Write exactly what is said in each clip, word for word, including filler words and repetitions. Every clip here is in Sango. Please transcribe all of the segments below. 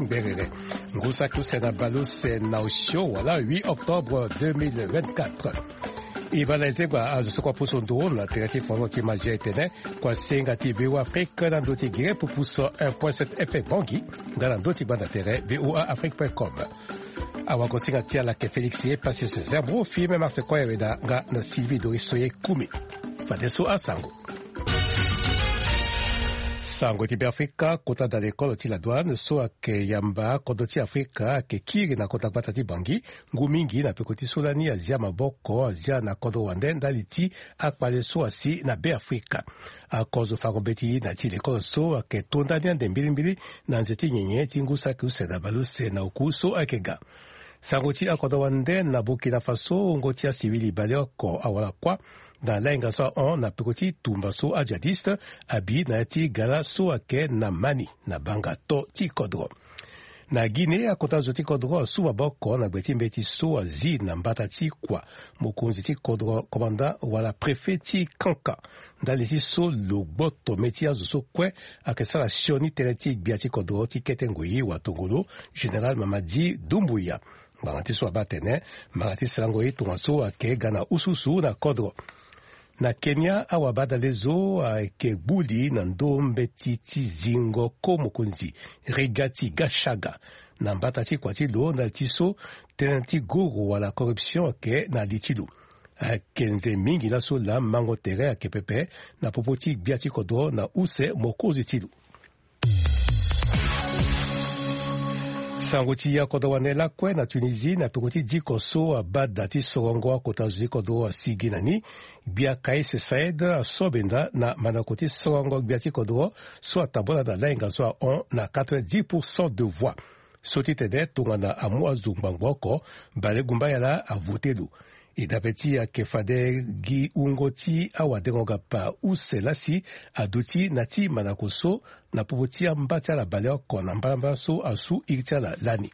Berere. Ngu saki use na baleuse na osio wala huit octobre deux mille vingt-quatre. E baa na ezegba azo so kua pusu nduru na tere ti fono ti magie etene kua senga ti V O A Afrique na ndö ti gere pupuso un point sept F M Bangui nga na ndö ti gbanda tere V O A Afrique point com. Awagosinga ti ala ke Félix ye Patience Zerbo, Firmin Marse Koyaweda nga na Sylvie Doris Soye Kumi. Fadeso asango. Sango ti Beafrika, kota da lekolo ti la douane so ayeke yamba kodro ti Afrika ayeke kiri na kota gbata ti Bangui. Ngu mingi na peko ti so lani azia maboko, azia na kodro wande ndali ti akpale so asi na Beafrika. Akozo fango mbeti na ti lekolo so ayeke to ndani ande mbilimbili na nze ti nyenye ti ngu saki use na baleuse na oku so ayeke ga. Sango ti akodro wande na Burkina Faso, wungo ti asivili baleoko awara kuâ na lahinga so ahon na peko ti tumba so ajihadiste abi na ya ti gala so ayeke na Mani na banga to ti kodro. Na Guinée, akota zo ti kodro asu maboko na gbe ti mbeti so azi na mbata ti kua mokonzi ti kodro, commandant wala préfet ti Kanka. Ndali ti so lo gboto mê ti azo so kue ayeke sara sioni tënë ti gbia ti kodro ti kete ngoi watongolo, général Mamadi Doumbouya. Ngbanga ti so abaa atene mara ti sarango ye tongaso ayeke ga na ususu na kodro. Na Kenya, awabadale zo ayeke gbu li na ndö mbeti ti zingo ko mokonzi Rigathi Gachagua na mbata ti kua ti lo ndali ti so tënë ti guru wala corruption ayeke na li ti lo. Ayeke nze mingi laso laa mango tere ayeke pepe na popo ti gbia ti kodro na use mokonzi ti lo. Sango ti akodro wande lakue na Tunisie, na peko ti diko so abaa da ti sorongo akota zo ti kodro asi gi na ni. Gbia Kais Saied aso benda na mandako ti sorongo gbia ti kodro so atambula na lahinga so ahon na quatre-vingt-dix pour cent de voix. So ti tene tongana amu azo ngbangbo oko, bale gumba yala avote lo. E dape ti ayeke fade gi wungo ti awadengo-gapa use lasi aduti na ti mandako so na popo ti amba ti ala baleoko na mbalambala so asu iri ti ala lani.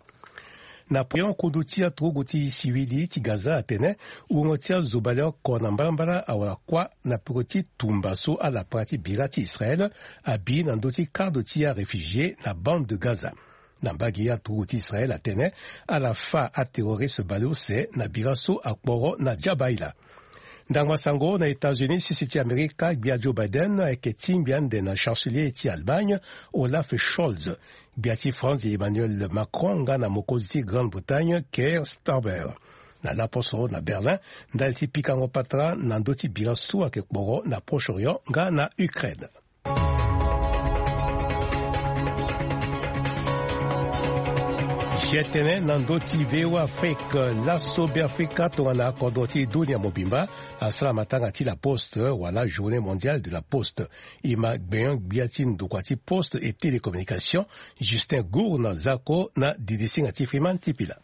Na Poyon, kundu ti aturugu ti sivili ti Gaza atene wungo ti azo baleoko na mbalambala awara kuâ na peko ti tumba so ala para ti bira ti Israël abi na ndö ti kado ti aréfugié na bande de Gaza. Na mbage ye aturugu ti Israël atene ala fâ aterroriste baleuse na bira so akporo na Jabaila. Ndangba sango na États-Unis, sese ti Amerika, gbia Joe Biden ayeke tingbi ande na chancelier ti Allemagne, Olaf Scholz, gbia ti France, Emmanuel Macron, nga na mokonzi ti Grande-Bretagne, Keir Starmer, na laposo na Berlin ndali ti pikango patara na ndö ti bira so ayeke kporo na Proche-Orient nga na Ukraine. Jetene na ndö ti V O A Afrique, laso Beafrika tongana akodro ti dunia mobimba asara matanga ti La Poste wala Journée mondiale de la Poste. E ma gbenyo-gbia ti ndokua ti Poste et Télécommunication, Justin Gourne Zako, na didisinga ti Freeman Tipila.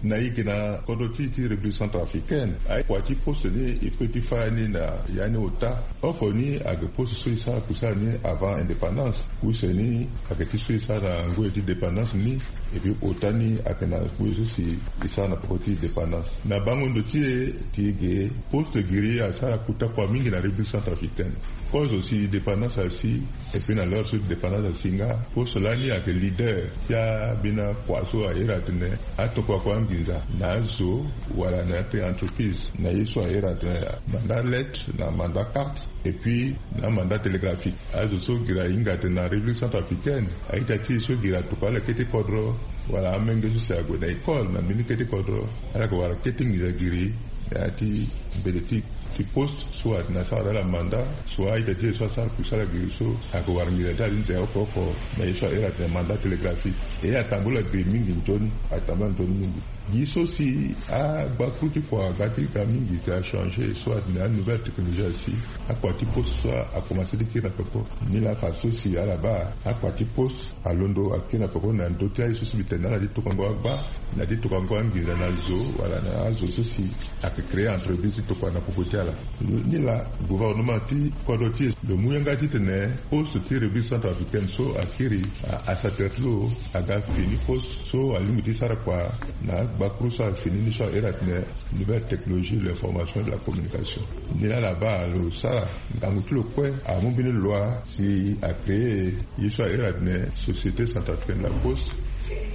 Na e yeke na kodro ti e ti République Centrafricaine, akua ti poste ni e peut ti fâ ni na ya ni ota. Oko ni ayeke poste so e sara kusala ni avant indépendance. Use ni ayeke ti so e sara na ngoi ti dépendance ni. Et puis ota ni ayeke na ngoi so si e sara na peko ti dépendance. Na bango ndo ti e ti ge, poste giri asara kota kua mingi na République Centrafricaine. Kozo si dépendance asi, et puis na l'heure so dépendance asi nga, poste lani ayeke leader ti abina kua so a iri atene atokua kua nginza na azo wala na ya ti entreprise, na ye so a iri atene mandat lettre na mandat carte, et puis na mandat télégraphique. Azo so giri ahinga atene na République Centrafricaine, a-ita ti e so giri atokua ala kete kodro, wala amenge so si ague na école na mbeni kete kodro, ala yeke wara kete nginza giri na ya ti mbele ti ti poste, so atene asara ala mandat, so a-ita ti e so asara kusala giri so, ayeke wara nginza ti ala ti nze oko oko na ye so a iri atene mandat télégraphique. E atambula giri mingi nzoni, atambula nzoni mingi. Gi so si agbakuru ti kua ga ti ga mingi si achangé, so atene anouvelle technologie asi, akua ti poste so akomanse ti kiri na peko. Nilaa fadeso si ala baa akua ti poste alondo akiri na peko na ndö ti aye so si mbi tene na ala ti tokango agba, na ti tokango anginza na zo, wala na azo so si ayeke créer entreprise ti tokua na popo ti ala. Nilaa gouvernement ti kodro ti e lo mu yanga titene poste ti République Centrafricaine so akiri, a, asatele ti lo aga fini poste so alingbi ti sara kua na agbakuru so afini ni so a iri atene nouvelle technologie de l'information et de la communication. Nilaa ala baa lo sara ngangu ti lo kue amu mbeni loi si a créer ye so a iri atene Société Centrafricaine de la Poste.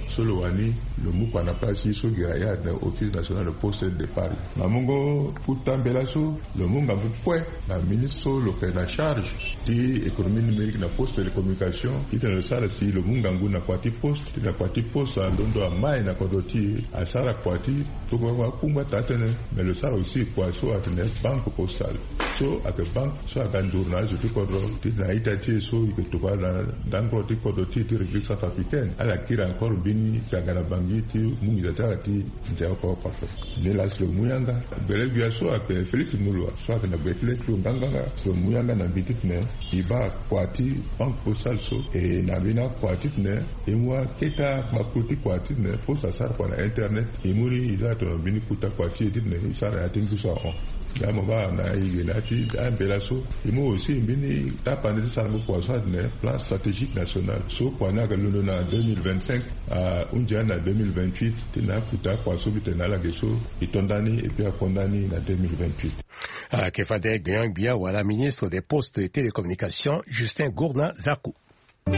So lo wani, lo mu kua na place so gi ayad na Office National de Poste et de Départ. Na mungo kuta mbela so, lo mu ngangu kue na ministre so lo yeke na charge ti économie numérique na poste, télécommunication, titene lo sara si lo mu ngangu na kua ti poste, titene kua ti poste alondo amai na kodro ti e, asara kua ti tokua kungba taa tënë. Me lo sara aussi kua so atene banque postale, so ayeke banque so aga nduru na azo ti kodro, titene a-ita ti e so e yeke tokua na ndangoro ti kodro ti e ti République centrafricaine, ala kiri encore mbeni zanga na Bangui ti mu nginza ti ala ti nze oko oko ape. Ni laa si lo mu yanga, gbele gbia so ayeke Félix Moloua so ayeke na gbe ti le ti lo nganganga, si lo mu yanga na mbi titene e baa kua ti banque postale so, e na mbeni akua titene e mu aketa makulu ti kua titene poste asara kua na internet. E mu ni e za tono mbeni kuta kua ti e titene e sara na ya ti ngu so ahon. Nda mo baa na e ge na ya ti ambela so, e mu aussi mbeni tapande ti sarango kua so atene plan stratégique national so kua ni ayeke londo na deux mille vingt-cinq. Ahunzi ani na deux mille vingt-huit, titene akuta kua so mbi tene na ala ge so, e to nda ni et puis akonda ni na deux mille vingt-huit. Ayeke fade gbenyo-gbia wala ministre des postes et télécommunications, Justin Gourna Zaku. E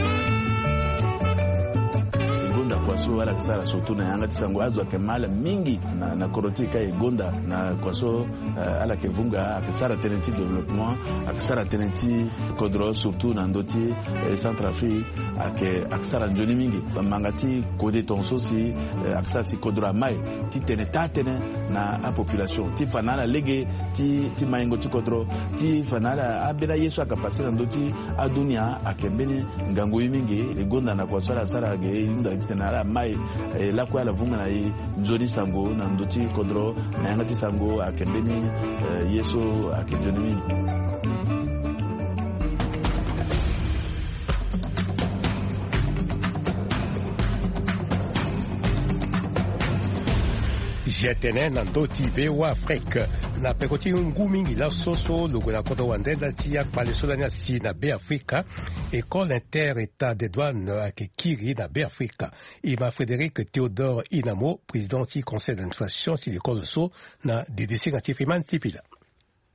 gonda kua so ala yeke sara surtout na yanga ti sango, azo ayeke ma ala mingi na, na kodro ti e ka e gonda na kua so, eh, ala yeke vunga, ayeke sara tënë ti développement, ayeke sara tënë ti kodro surtout na ndö ti, eh, Centrafrique, ayeke, ayeke sara nzoni mingi. Bamanga ti kode tongaso si, eh, ayeke sara si kodro amai ti tene taa tënë na apopulation ti fa na ala lege ti, ti maingo ti kodro, ti fa na ala ambeni aye so ayeke pase na ndö ti adunia ayeke mbeni ngangu ye mingi. E gonda na kua so ala sara ge, e hunda titene ala mai, e lakue ala vunga na e nzoni sango na ndö ti kodro, na yanga ti sango ayeke mbeni, eh, ye so ayeke nzoni mingi. Zia tene na ndö ti V O A Afrique. Na peko ti ngu mingi laso so lo gue na kodro wande ndali ti akpale so lani asi na Beafrika, École Inter-État des Douanes ayeke kiri na Beafrika. E ma Frédéric Théodore Inamo, président ti conseil d'administration ti l'école so, na didisinga ti Freeman Tipila.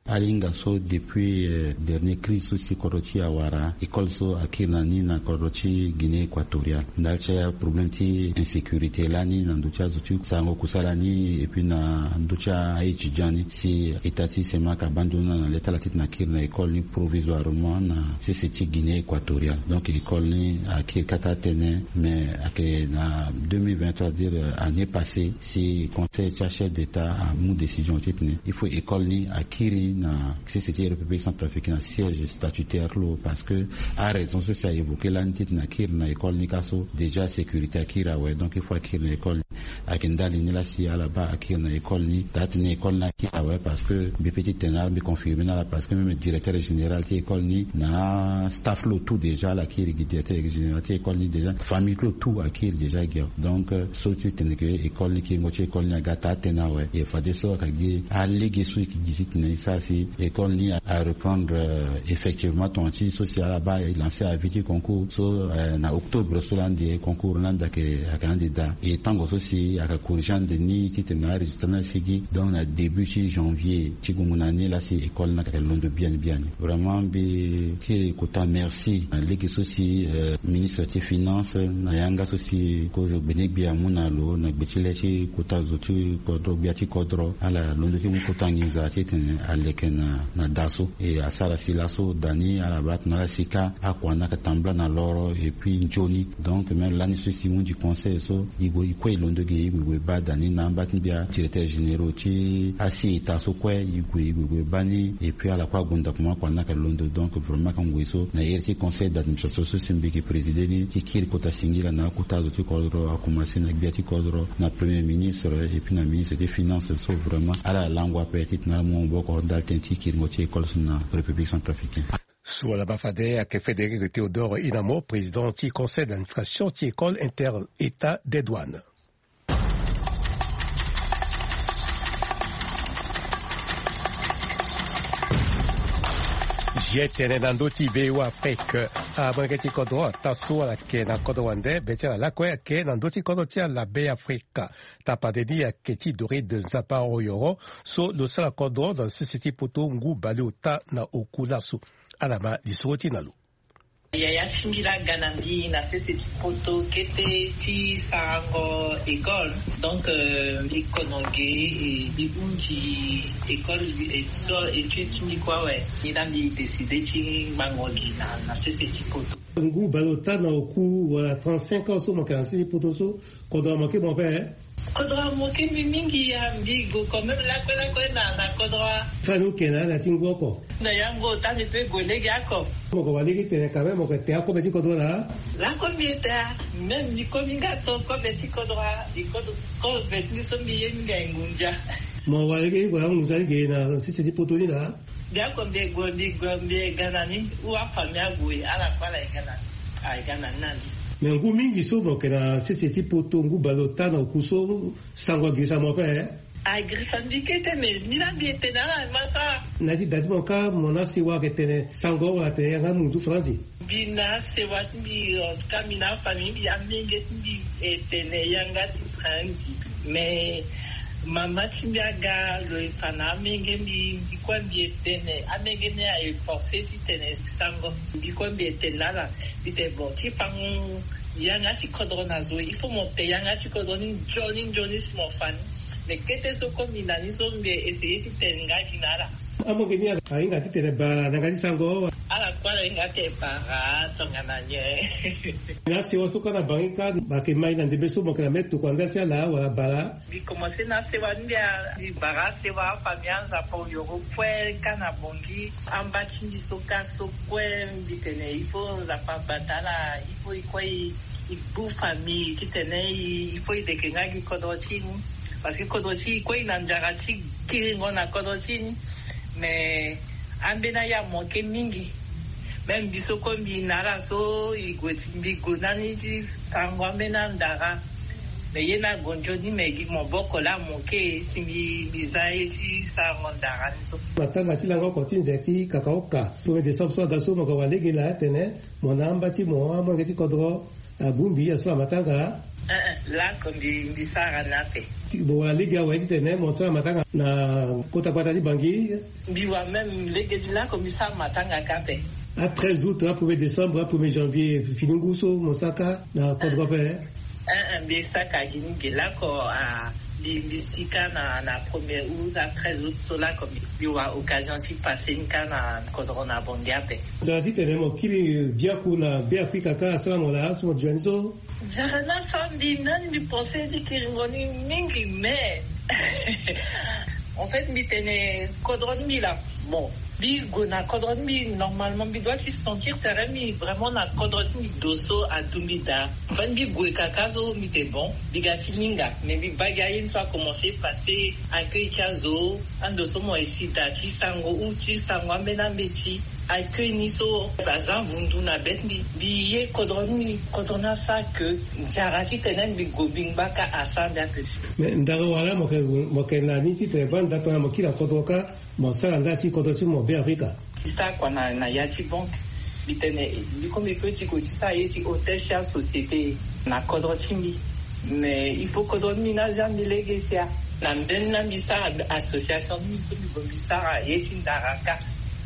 Alinga so depuis, euh, dernier crise so si kodro ti e awara, école so akiri na ni na kodro ti Guinée équatoriale. Ndali ti aproblème ti insécurité lani na ndö ti azo ti sarango kusala ni, et puis na ndö ti a-étudiant ni, si état ti Semak abandon na, na le ti ala titene akiri na école ni provisoirement na sese ti Guinée équatoriale. Donc école ni akiri kâ taa tënë, mais ayeke na deux mille vingt-trois, c'est-à-dire, euh, année passée, si conseil ti achef d'état amu décision titene il faut école ni akiri na sese ti République centrafricaine na siège statutaire ti lo, parce que araison so si a évoqué lani titene akiri na école ni kâ so, déjà sécurité akiri awe, donc il faut akiri na école ni. Ayeke ndali ni laa si ala baa akiri na école ni, taa tënë école ni akiri awe, parce que mbi peut ti tene na ala, mbi confirmer na ala, parce que même directeur général ti école ni na staff ti lo tout déjà ala kiri gi directeur général ti école ni déjà, famille ti lo tout akiri déjà gi awe. Donc, euh, so ti tene ke école ni, kiringo ti école ni aga taa tënë awe. E fadeso ayeke gi alege so e yeke gi titene e sara si école ni a, a reprendre, euh, effectivement. Tongana ti so si ala baa e lancer avis ti concours so, euh, na octobre so lani de concours ni ande ayeke, ayeke ande daa. E tango so si ayeke corriger ande ni titene na arésultat ni asigi. Donc na début ti janvier ti gungu na ni laa si école ni ayeke londo biani biani. Vraiment mbi kiri kota merci na lege so si, euh, ministre ti finance na yanga so si kozo gbene gbia amu na lo na gbe ti le ti kota zo ti kodro, gbia ti kodro, ala londo ti mu kota nginza titene aleke na, na da so. E asara si laso da ni ala baa tongana ala si kâ akua ni ayeke tambula na loro et puis nzoni. Donc même lani so si e hunzi conseil so, e gue, e kue e londo ge, e gue, e gue e baa da ni na amba ti gbia directeur généraux ti asi état so kue, e gue, e gue, e gue e baa ni, et puis ala kue ague ndokua mo akua ni ayeke londo. Donc vraiment ayeke ngoi so na iri ti conseil d'administration so si mbi yeke présider ni, ti kiri kota singila na akota zo ti kodro, a commencer na gbia ti kodro, na premier ministre et puis na ministre ti finance so vraiment ala lango ape titene ala mu maboko ndali tënë ti kiringo ti école so na République centrafricaine. So ala baa fade ayeke Frédéric Théodore Inamo, président ti conseil d'administration ti école inter-état des douanes. Zia tene na ndö ti V O A Afrique, amolenge ti kodro ataa so ala yeke na kodro wande be ti ala lakue ayeke na ndö ti kodro ti ala Beafrika. Tapande ni ayeke ti Doride Nzapa Oyoro, so lo sara kodro na sese ti poto ngu baleota na oku laso. Ala ma lisoro ti na lo. Yaya ti mbi laa aga na mbi na sese ti poto kete ti sarango école. Donc euh, mbi kono ge, e mbi hundi école, e so étude ti mbi kue awe. Ni laa mbi décide ti ngango gi na, na sese ti poto. Ngu baleota na oku wala trente-cinq ans so mo yeke na sese ti poto so, kodro amoke mo ape? Kodro amoke mbi mingi ya, mbi go quand même lakue lakue na, na kodro. Fani oke na ala ti ngu oko? Na yango ota mbi pe go lege ako. Mo ko wa lege tene quand même mo ko te akobe ti kodro laa? Lako mbi ete a, même mbi komi nga to kobe ti kodro a, mbi kodo kobe ti mbi so mbi ye mbi ga ngunza. Mo wa lege wala ngunza ni ge na sese ti poto ni laa? Biako mbi e gue, mbi gue, mbi e ga na ni, ou afamille ague, ala kue ala e ga na ni, a e ga na ni na ni. Mais ngu mingi so mo yeke na sese ti poto, ngu baleota na oku so, sango agirisa mo ape? Agirisa mbi kete, mais ni laa mbi e tene ala ma sara. Na ya ti da ti mo kâ, mo na sewa ayeke tene sango wala tene yanga munzu faranzi? Mbi na sewa ti mbi, en tout cas mbi na afamille mbi, amenge ti mbi e tene yanga ti faranzi. Mais mama ti mbi aga lo e fa na amenge mbi, mbi kue mbi e tene, amenge ni aye forcé ti tene sango. Mbi kue mbi e tene na ala, mbi tene bon, ti fango yanga ti kodro na zo, il faut mo te yanga ti kodro ni nzoni nzoni si mo fa ni. Mais kete so kue mbi na ni so mbi e essayer ti tene nga gi na ala. Amonge ni ahinga ti tene bara na yanga ti sango? Ala kue ala hinga ti tene bara tongana nyen? Na sewa so kâ na bangi kâ, ayeke ma e na ndembe so mo yeke na mbeni tokua ndali ti ala wala bara? Mbi commencé na sewa ni, mbi a, mbi bara sewa afamille aNzapa oyoro kue kâ na Bangui. Amba ti mbi so kâ so kue mbi tene il faut Nzapa abata ala, il faut e kue e, e gbu famille titene e, il faut e deke nga gi kodro ti e ni. Parce que kodro ti e kue e na nzara ti kiringo na kodro ti e ni. Mais ambeni aye amoke mingi. Même mbi so kue mbi na ala so e gue, mbi gue na ni ti sarango ambeni andara. Mais ye ni ague nzoni, mais gi maboko laa amoke si mbi, mbi za ye ti sarango ndara ni so. Matanga ti lango oko ti nze ti kakaoka premier décembre so aga so mo ga wa lege laa tene mo na amba ti mo amolenge ti kodro abongbi asara matanga. Eh, eh, lako mbi, mbi sara ni ape. Ti, mo wa lege awe titene mo sara matanga na kota gbata ti Bangui? Mbi wa même lege ti lako mbi sara matanga kâ ape. A treize août, a premier décembre, a premier janvier, fini ngu so mo sara kâ na kodro ape? Eh, eh, mbi sara kâ gi ni ge lako, ah, mbi, mbi si kâ na, na premier août, a treize août so lako mbi, mbi wa occasion ti passer ni kâ na kodro na Bangui ape. Nzara titene mo kiri biaku na Beafrika kâ asara mo laa so mo duti ni so? Nzara ni asara mbi, nani mbi pensé ti kiringo ni mingi, mais en fait mbi tene kodro ti mbi laa. Bon, mbi gue na kodro ti mbi, normalement mbi doit ti sentir tere mbi vraiment na kodro ti mbi, do so adu mbi daa. En fait mbi gue kaka so mbi tene bon, mbi ga ti linga, mais mbi baa gi aye ni so a commencé passer accueil ti azo, ando so mo e si daa ti sango ou ti sango ambeni ambeti. Accueil ni so aza vundu na be ti mbi. Mbi ye kodro ni, kodro ni asara ke nzara titene mbi gue mbi ngba kâ asara mbi ape. Mais ndara wala mo yeke, mo yeke na ni titene baa nda tongana mo kiri na kodro kâ, mo sara nda ti kodro ti mo Beafrika? Mbi sara kua na, na ya ti banque. Mbi tene mbi kue mbi peut ti gue ti sara ye ti hôtel ti asociété na kodro ti mbi. Mais il faut kodro ti mbi ni azia mbi lege sia. Na mbeni laa mbi sara association ti mbi so mbi gue mbi sara ye ti ndara kâ.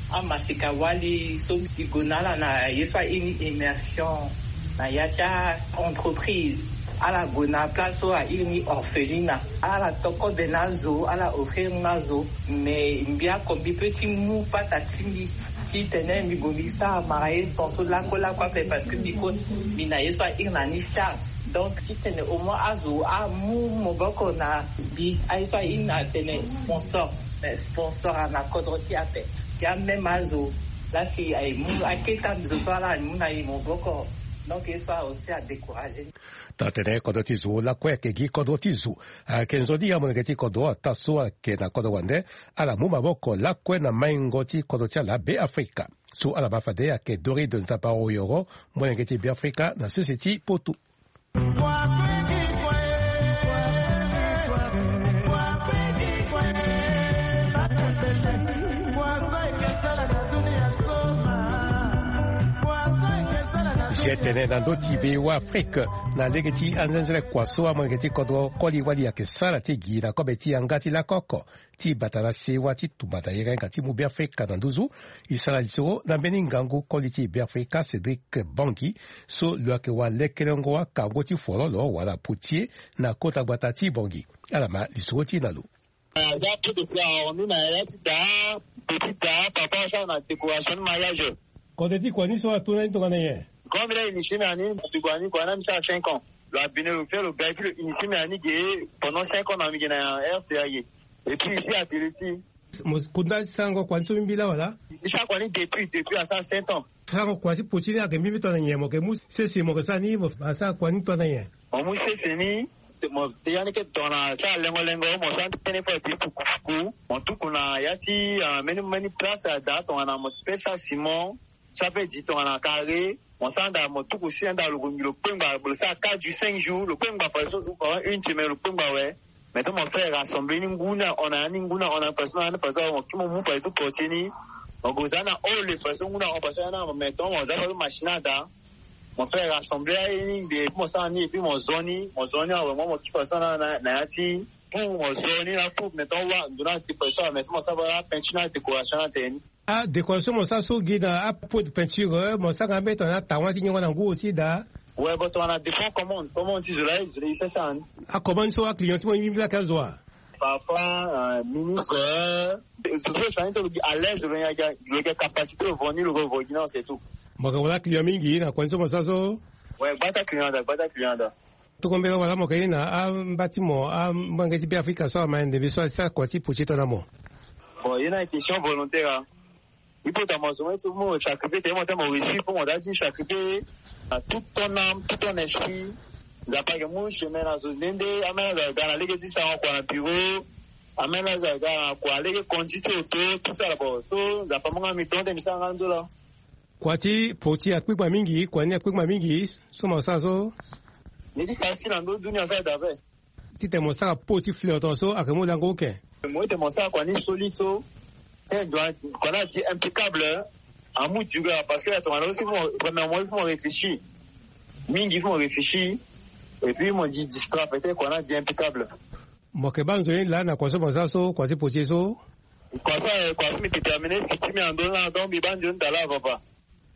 Amaseka wali so mbi gue na ala na ye so airi ni immersion na ya ti a-entreprise. Ala gue na place so airi ni orphelina. Ala to kobe na azo, ala offrir ni na azo. Mais mbi oko mbi peut ti mu pata ti mbi titene mbi gue mbi sara mara ye tongaso lakue lakue ape, parce que mbi kue mbi na ye so airi na ni charge. Donc titene au moins azo amu maboko na mbi. Aye so airi na tene sponsor, mais sponsor ana kodro ti e ape. Ti amême azo laa si aye mu aketa zo so ala mu na e maboko. Donc ye so aussi adécouragé ni. Tongana tene kodro ti zo lakue ayeke gi kodro ti zo, ayeke nzoni amolenge ti kodro ataa so ayeke na kodro wande ala mu maboko lakue na maingo ti kodro ti ala Beafrika. So ala baa fade ayeke Doride Nzapa Oyoro, molenge ti Beafrika na sese ti poto. Tene na ndö ti V O A Afrique, na lege ti anzenzele kua so amolenge ti kodro koli wali ayeke sara ti gi na kobe ti yanga ti lako oko ti bata na sewa ti tumba na yanga ti mu Beafrika na nduzu. E sara lisoro na mbeni ngangu koli ti Beafrika Cédric Bangui, so lo yeke wa lekelengo akango ti fololo wala potier na kota gbata ti Bangui. Ala ma lisoro ti e na lo. Aza peu de fleurs, on est na ya ti da, petit da, papa asara na décoration ni mariage. Kode ti kua ni so ato na ni tongana nyen? Grand village initié mi ani, depuis kua ni kua na mi sara cinq ans. Lo abine lo fait lo gars, et puis lo initié mi ani ge pendant cinq ans na mi ge na R C A ge. Et puis ici à Télé ti. Mo kunda ti sarango kua ni so mbi la wala? Ni sara kua ni depuis, depuis asara sept ans. Sarango kua ti poti ni ayeke mbimbi tongana nyen? Mo yeke mu sese mo yeke sara ni, mo asara kua ni tongana nyen? Mo mu sese ni, mo te ya ni ke tongana sara lengo lengo, mo sara ni tënë fo ti fuku fuku. Mo tuku na ya ti, ah, mbeni mbeni place ada tongana mo si pe sara ciment, so ape di tongana carré. Mo sara nda mo tuku si anda lo gongi lo kpengba, lo sara quatre jours, cinq jours, lo kpengba fadeso, une semaine lo kpengba awe. Maintenant mo fait rassembler ni ngu ni ahon na ya ni, ngu ni ahon na ya ni fadeso, na ya ni fadeso mo kiri mo mu fadeso portier ni. Mo gue za na hall fadeso ngu ni ahon fadeso ya ni, maintenant mo za fadeso machine ada. Mo fait rassembler aye ni nde, et puis mo sara ni, et puis mo zo ni, mo zo ni awe, mo, mo kiri fadeso na, na, na ya ti pour mo zo ni na pour maintenant wa ndo na ti fadeso awe, maintenant mo sara fadeso apeinture na décoration na tene ni. Adécoration mo sara so gi na apot de peinture, eh, mo sara nga mbeni tongana atawan ti niongo na ngu aussi daa. Ouais, bon, tongana dépend commande, commande ti zo laa, zo laa e fait ça, hein. Acommande so aclient ti mo ye mbi laa ayeke azo wa? Parfois, euh, ministre, euh, zo so e sara ni so lo gi à l'aise, lo yeke, lo yeke capacité lo vo ni, lo vo gi na, c'est tout. Mo yeke wara client mingi na kua ni so mo sara so? Ouais, gba ti aclient daa, gba ti aclient daa. Tokombela wala mo yeke ni na amba ti mo, amolenge ti Beafrika so ama ndembe so asara kua ti potier tongana mo? Bon, ye ni ayeke question volontaire, hein. Il faut tongana mo zo mo ti mo sacrifier tene mo tene mo réussir, faut mo daa ti sacrifier na toute ton âme, tout ton esprit. Nzapa ayeke mu chemin na zo nde nde, ameni azo aga na lege ti sarango kua na bureau, ameni azo aga na kua lege conduire ti auto, tout ça là, bon, so Nzapa amu nga mi don ti mi sara nga ndo laa. Kua ti potier akpikpa mingi, kua ni akpikpa mingi so mo sara so? Ni ti sara si na ndö dunia so ayeke daa ape. Titene mo sara pot ti fleur tongaso ayeke mu lango oke. Mo ete mo sara kua ni solide so. Tene kua ni adi impeccable, hein. Amu durer parce que tongana aussi mo, premièrement il faut mo réfléchir. Mingi il faut mo réfléchir. Et puis mo di distraire peut-être kua ni adi impeccable. Mo yeke baa nzoni laa na kua so mo sara so, kua ti potier so? Kua so, eh, kua so mbi déterminer futur ti mbi na ndö ni laa, donc mbi baa nzoni daa laa, papa.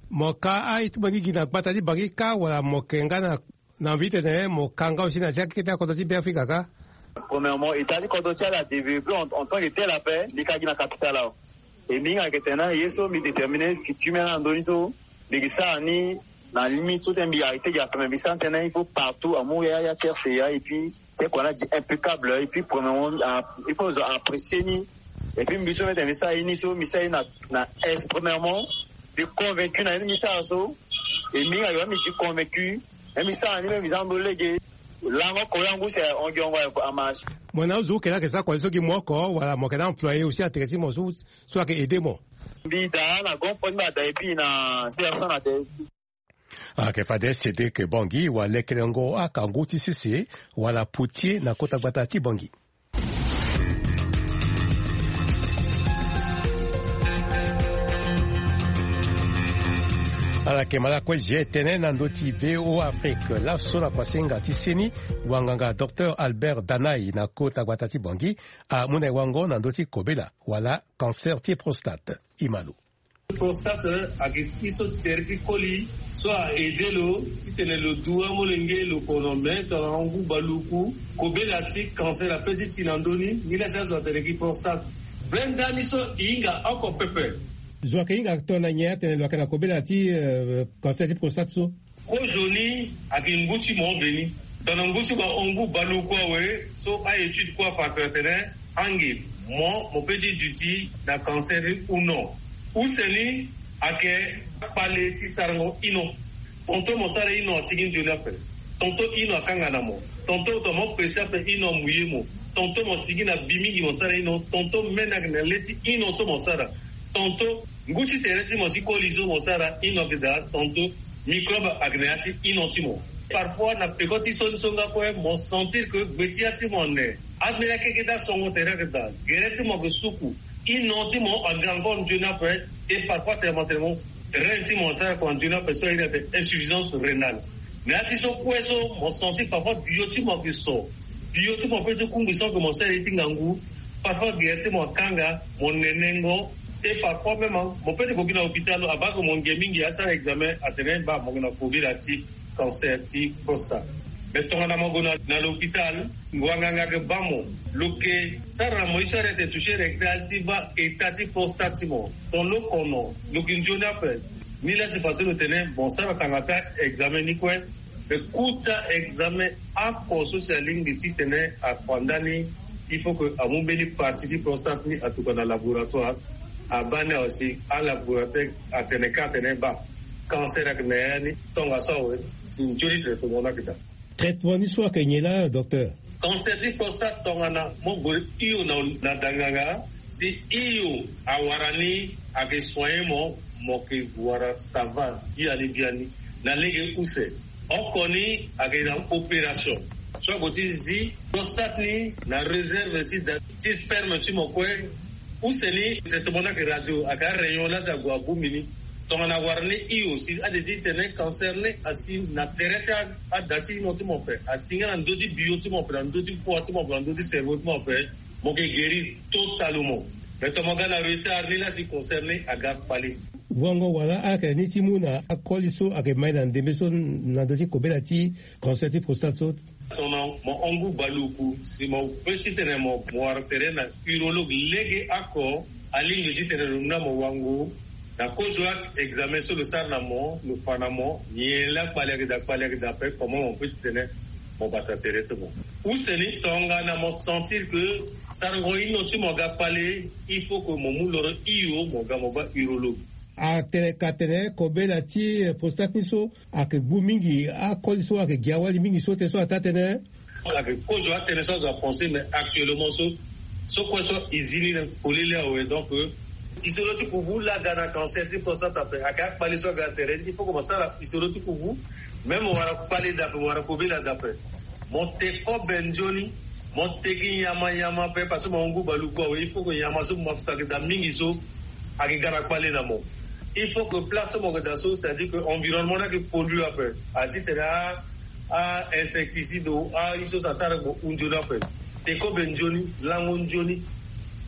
Mo ka aye ti mo ni gi na gbata ti Bangui kâ wala mo yeke nga na, na envie titene mo ka nga aussi na ya ti akete akodro ti Beafrika kâ? Premièrement, état ti kodro ti ala adéveloppé en, en tant que tel ape, mbi ka gi na capitale awe. E mbi hinga ayeke tene na ye so mbi déterminer futur ti mbi na ndö ni so, mbi yeke sara ni na limite so tene mbi arrêter gi ape, mais mbi sara ni tënë il faut partout amu ya, ya ti R C A, et puis tene kua ni adi impeccable, et puis premièrement, ah, il faut zo apprécier ni. Et puis mbi so mbi tene mbi sara ye ni so, mbi sara ye na, na aise, premièrement, mbi convaincu na ye ni mbi sara so. Et mbi hinga ayeke mbi di convaincu, même mbi sara ni, même mbi za ndo lege. Lango oko ya ngu si ahon gi hongo amarche. Mo na azo oke laa ayeke sara kua ni so gi mo oko wala mo yeke na employé aussi na tere ti mo so, so ayeke aider mo? Mbi daa na grand frère ti mbi ada et puis na personne na tere ti. Ayeke fade Cédric Bangui wa lekelengo akangu ti sese wala potier na kota gbata ti Bangui. Ala yeke ma lakue G T N na ndö ti V O A Afrique. Laso na kuasinga ti seni, wanganga docteur Albert Danai na kota gbata ti Bangui amu na e wango na ndö ti kobela wala cancer ti prostate. E ma lo. Prostate ayeke ti so ti tere ti koli so a-aidé lo titene lo du amolenge lo kono me tongana ngu baluku. Kobela ti cancer ape ti ti na ndö ni, ni la ti azo atene gi prostate. Vrai ndani so e hinga oko pepe. Zo ayeke hinga tongana nyen atene lo yeke na kobela ti, euh, cancer ti prostate so? Kozo ni ayeke ngu ti mo veni. Tongana ngu ti mo ahon ngu baluku awe, so a-étude kue afa tongana tene ange mo, mo peut ti duti na cancer ni ou non. Use ni ayeke akpale ti sarango ino. Tongaso mo sara ino asigi nzoni ape. Tongaso ino akanga na mo. Tongaso tongana mo pressé ape ino amouillé mo. Tongaso mo sigi na bi mingi mo sara ino. Tongaso même ayeke na le ti ino so mo sara. Tongaso ngu ti tere ti mo ti koli so mo sara ino ayeke daa. Tongaso microbe ayeke na ya ti ino ti mo. Parfois na peko ti so ni so nga kue mo sentir que gbe ti ya ti mo ane. Ambeni akeke ti asongo tere ayeke daa. Gere ti mo ayeke suku. Ino ti mo aga encore nzoni ape. Et parfois tene mo tene mo Reine ti mo asara kua nzoni ape so airi ate insuffisance rénale. Mais ati so kue so mo senti parfois bio ti mo ake so, bio ti mo pe ti kungbi so ake mo sara ye ti ngangu. Parfois gere ti mo akanga, mo nenengo. Et parfois même mo pe ti koki na hôpital abaa ke mo nge mingi asara examen atene ba mo ke na covid ati cancer ti prostate. Mais tongana mo gue na l'hôpital, ngua nganga ke ba mo, lo ke sara na mo ye so arete toucher rectal ti ba état ti prostate ti mo. Ton lo kono lo ke nzoni ape. Ni la si façon lo tene bon sara tanga ta examen ni kue. Mais kuta examen ako so si alingbi ti tene afa ndani, il faut que amu mbeni partie ti prostate ni atuka na laboratoire. Abaa ni awe si alaboratoire atene ka atene ba cancer ake na ya ni. Tongaso awe si nzoni traitement ni ake daa. Traitement ni so ake nyen laa docteur? Cancer ti prostate tongana mo gue hio na danganga, si hio awara ni ake soigner mo, mo ke wara sava biani biani na lege use. Oko ni ake na opération so ague ti zi prostate ni na réserve ti da ti sperme ti mo kue. Use ni traitement ni ake radio ake arayon la si ague abongbi ni. Tongana awara ni hio si ade ti tene cancer ni asi na tere ti ada ti hino ti mo ape, asi nga na ndö ti bio ti mo ape, na ndö ti foi ti mo ape, na ndö ti cerveau ti mo ape, mo ke guérir totalement. Mais tongana mo ga na retard ni la si cancer ni aga kpale. Wango wala ala yeke ni ti mu na akoli so ayeke mai na ndembe so na ndö ti kobela ti cancer ti prostate so. Tongana mo hon ngu baleoku si mo pe titene mo wara tere na urologue lege oko, alingbi titene lo mu na mo wango na kozo a examen so lo sara na mo, lo fa na mo nyen la kpale ayeke daa, kpale ayeke daa ape, comment mo pe titene mo bata tere ti mo. Use ni tongana mo sentir ke sarango hino ti mo aga kpale, il faut ke mo mu loro hio mo ga mo baa urologue. Atene ka tene kobela ti prostate ni so ayeke gbu mingi, akoli so ayeke gi awali mingi so tene so ataa tënë. Ayeke kozo atënë so azo apense, mais actuellement so so kue so e zi ni na polele awe. Donc isolo ti kubu la aga na cancer ti prostate ape, ayeke akpale so aga na tere ni, il faut que mo sara isolo ti kubu. Même mo wara kpale daa ape, mo wara kobela daa ape, mo te kobe nzoni, mo te gi nyama nyama ape parce que mo hon ngu baleoku awe. Il faut que nyama so mo mafuta ayeke daa mingi so ayeke ga na kpale na mo. Il faut que place so mo yeke daa so, c'est à dire que environnement ni ayeke pollue ape. A titene a a insecticide o a ye so so asara mo hu nzoni ape. Te kobe nzoni, lango nzoni.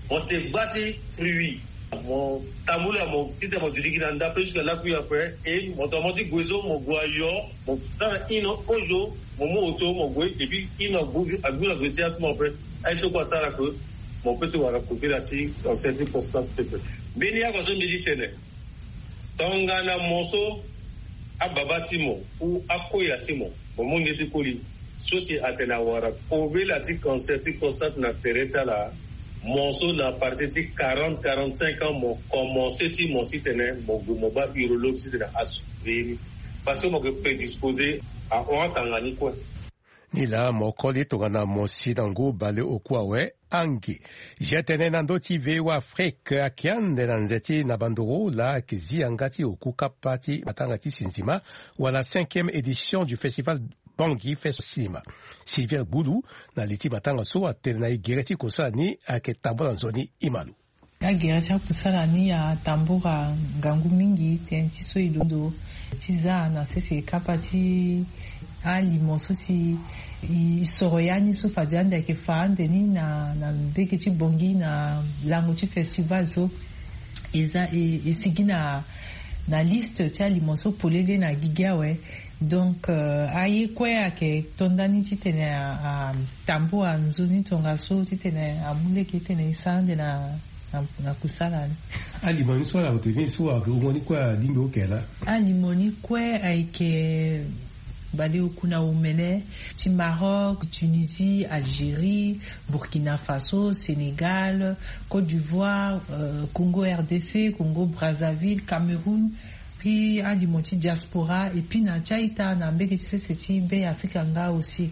Mo te gba ti fruit, mo tambula mo titene mo duti gi na nda pe jusque lakui ape. E mo tongana mo ti gue so mo gue ayo, mo sara hino kozo, mo mu oto mo gue, et puis hino agbu na gue ti ya ti mo ape. Aye so kue asara ke mo pe ti wara kobela ti cancer ti prostate pepe. Mbeni yako so mbi ti tene, tongana mo so ababa ti mo ou akoya ti mo, mo mu nge ti koli so si atene awara kobela ti cancer ti prostate na tere ti ala, mo so na partir ti quarante quarante-cinq ans mo komanse ti mo titene mo gue mo baa urologue titene asurveiller ni, parce que mo yeke prédisposé ahon atanga ni kue. Nilaa mo koli tongana mo si na ngu baleoku awe. Angi. Zia tënë na ndö ti V O A Afrique ayeke ande na nze ti na bandoro laa ayeke zi yanga ti oku kapa ti matanga ti sinzima wala cinquième édition du festival Bangui Fest Cinema. Sylvia Gbulu, na li ti matanga so atene na e gere ti kosala ni ayeke tambula nzoni. E ma lo. Agere ti akusala ni atambula ngangu mingi tënë ti so e londo ti za na sese kapa ti alimo so si e soro ya ni so fade ande ayeke fa ande ni na na mbege ti Bangui na lango ti festival so e za e e sigi na na liste ti alimo so polele na gigi awe. Donc aye kue ayeke to ndani titene atambula nzoni tongaso titene amu lege titene e sara ande na na na kusala ni. Alimo ni so ala ute ni so ayeke hungo ni kue alingbi oke laa? Alimo ni kue ayeke baleoku na omene ti Maroc, Tunisie, Algérie, Burkina Faso, Sénégal, Côte d'Ivoire, Congo R D C, Congo Brazzaville, Cameroun. Puis alimo ti diaspora et puis na ti a-ita na mbege ti sese ti Be Afrika nga aussi.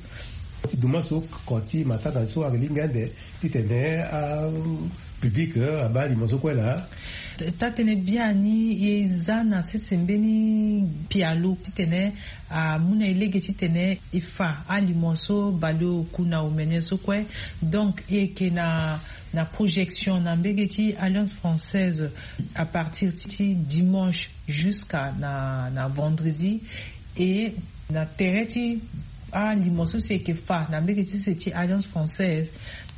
Ti duma so, ko ti matanga so ayeke lingbi ande titene a public abaa limo so kue laa. Taa-tënë biani e za na sese mbeni pialo titene amu na e lege titene e fa alimo so baleoku na omene so kue. Donc e yeke na na projection na mbege ti Alliance Française à partir ti dimanche jusqu'à na na vendredi. Et na tere ti alimo so si e yeke fa na mbege ti se ti Alliance Française,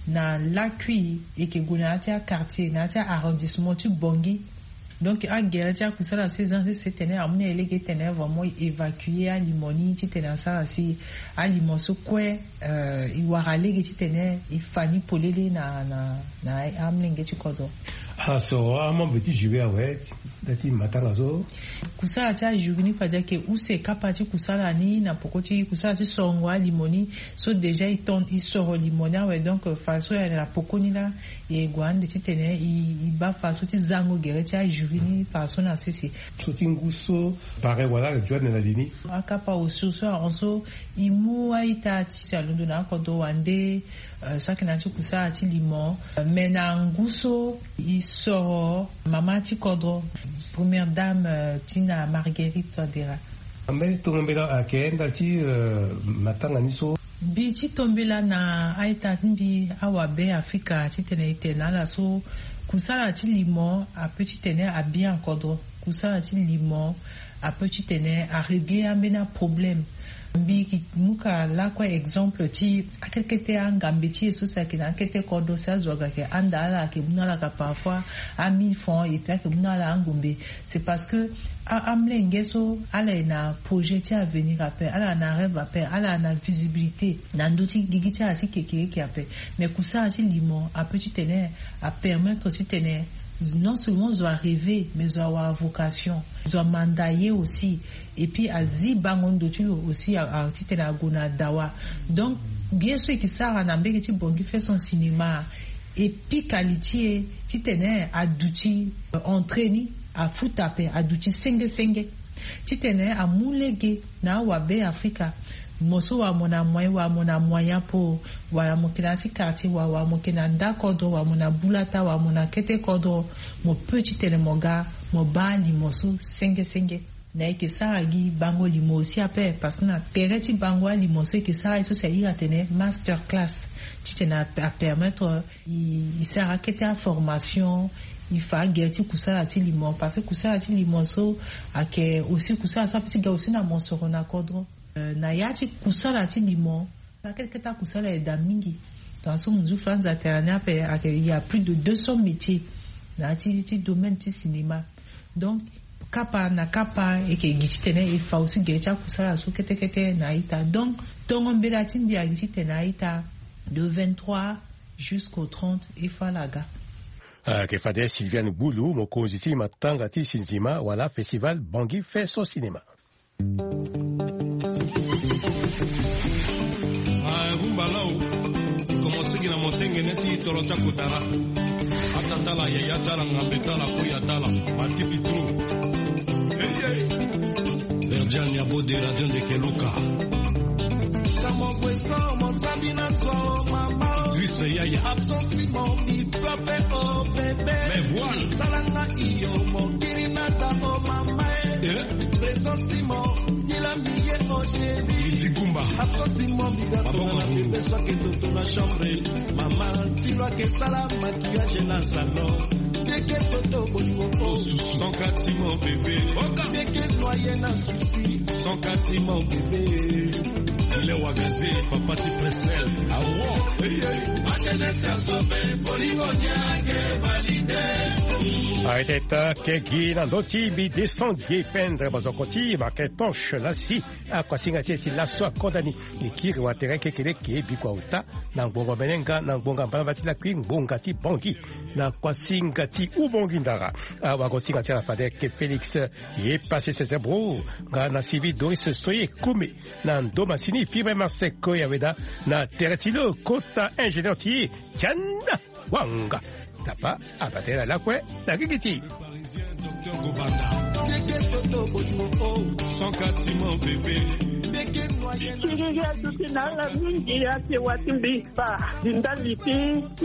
na lakui e yeke gue na ya ti aquartier, na ya ti arrondissement ti Bangui. Donc agere ti akusala so e za na sese titene amu na e lege titene vraiment e évacuer alimo ni titene asara si alimo so kue e wara lege titene e fa ni polele na na na amolenge ti kodro. Ala soro amembre ti jury awe na ya ti matanga so. Kusala ti ajury ni fade ayeke use kapa ti kusala ni na poko ti kusala ti sorongo alimo ni. So déjà e ton e soro limo ni awe, donc fadeso e na poko ni laa e gue ande titene e baa fadeso ti zango gere ti ajury ni fadeso na sese. So ti ngu so pare wala ayeke joindre na li ni. Akapa osio so ahon so e mu a-ita ti si alondo na akodro wande. So ayeke na ya ti kusala ti limo, me na ngu so e soro mama ti kodro, première dame ti na Marguerite Touadéra. Ambeni tongo mbela ayeke ndali ti matanga ni so. Mbi ti tombela na a-ita ti mbi awabe Afrika titene e tene na ala so kusala ti limo ape titene abia na kodro. Kusala ti limo ape titene arégler ambeni aproblème. Mbi yeke mu ka lakue exemple ti akete kete angambe ti e so si ayeke na akete kodro si azo aga ayeke handa ala ayeke mu na ala ka parfois a mille francs et puis ayeke mu na ala angombe. C'est parce que amolenge so ala ye na projet ti avenir ape, ala na rêve ape, ala na visibilité na ndö ti gigi ti ala ti kekereke ape. Mais kusala ti limo ape titene apermettre titene non seulement zo arêver mais zo awara vocation, zo amanda ye aussi. Et puis azi bango ndo ti lo aussi titene ague na dawa. Donc bien so e ke sara na mbege ti Bangui fait son cinéma, e pika li ti e titene aduti entrée ni afuta ape aduti senge senge. Titene amu lege na awabe Afrika, mo so wala mo na moyen wala mo na moyen apo, wala mo yeke na ya ti quartier wala wala mo yeke na nda kodro wala mo na bulata wala mo na kete kodro, mo peut titene mo ga mo baa limo so senge senge. Na e yeke sara gi bango limo aussi ape parce que na tere ti bango alimo so e yeke sara ye so si a iri atene master class. Titene apermettre e sara kete aformation, e fa agere ti kusala ti limo parce que kusala ti limo so ayeke aussi kusala so ape ti ga aussi na mosoro na kodro. Na ya ti kusala ti limo na kete kete akusala ayeda mingi. Tongaso mo zu franza atene ni ape ayeke il y a plus de deux cents métiers na ya ti ti domaine ti cinéma. Donc kapa na kapa e yeke gi titene e fa aussi gere ti akusala so kete kete na a-ita. Donc tongo mbela ti mbi agi titene a-ita de vingt-trois jusqu'au trente e fa ala ga. Ayeke fade Sylviane Gbulu, mokonzi ti matanga ti sinzima wala festival Bangui fait son cinéma. Rumba lao. Commencé gi na motengene ti toro ti akotara. Ata tala yaya tala ngambe tala koya tala. Matipi tro. Verdian ya bode radio ndeke luka. Kamo kweso mo sabi na so mama. Dris yaya. Absence mo bi pape o bebe. Mais voilà. Salanga iyo mo kiri na ta o mama. Eh. Présence mo. Ila miye o chéri. Iti kumba. Absence mo bi ga tona na bebe so ake toto na chambre. Mama tilo ake sala maquillage na salon. Keke toto bolingo o. Son kati mon bébé. Oka. Keke noyé na souci. Son kati mon bébé. Ile wagaze papa ti Presnel. Awo. Hey, hey. Akene sia sobe bolingo nyage valide. Arrête ta kegi na ndö ti mbi descend gi pendre bazoko ti Marquintosh lasi. Akuasinga ti e ti laso akonda ni. E kiri watere kekereke bikua ota. Na ngbonga mene nga na ngbonga mbalamba ti lakui ngbonga ti Bangui. Na kuasinga ti Ubangui ndara. Awagosinga ti ala fade ke Félix. E pase sezebro nga na sivi Doris Soye Kome. Na ndo masini fibre maseko ya weda na tere ti lo kota ingénieur ti e. Tianda wanga. Tapa abate na lakue na gigi ti. Parisien, docteur Gobanda. Keke toto bolingo o. Son kati mon bébé. Keke noyé. Siriri atuti na ala mingi ake wati mbi kpa di ndali ti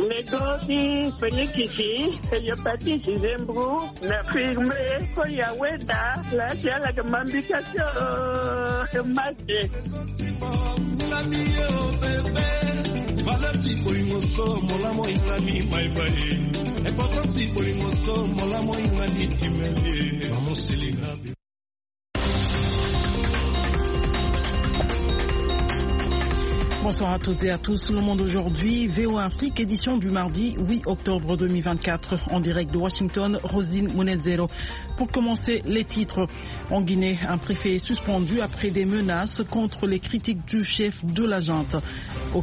lego ti felikisi, hepatite zembro na firme. Ko ya weda la ti ala ke mambika ti o mate. Valeur ti bolingo so molamo ingani maibai. Importance ti bolingo so molamo ingani timeli. Mamo selina. Bonsoir à toutes et à tous. Le Monde Aujourd'hui, V O A Afrique, édition du mardi huit octobre deux mille vingt-quatre, en direct de Washington, Rosine Munezero. Pour commencer, les titres. En Guinée, un préfet est suspendu après des menaces contre les critiques du chef de la junte. Au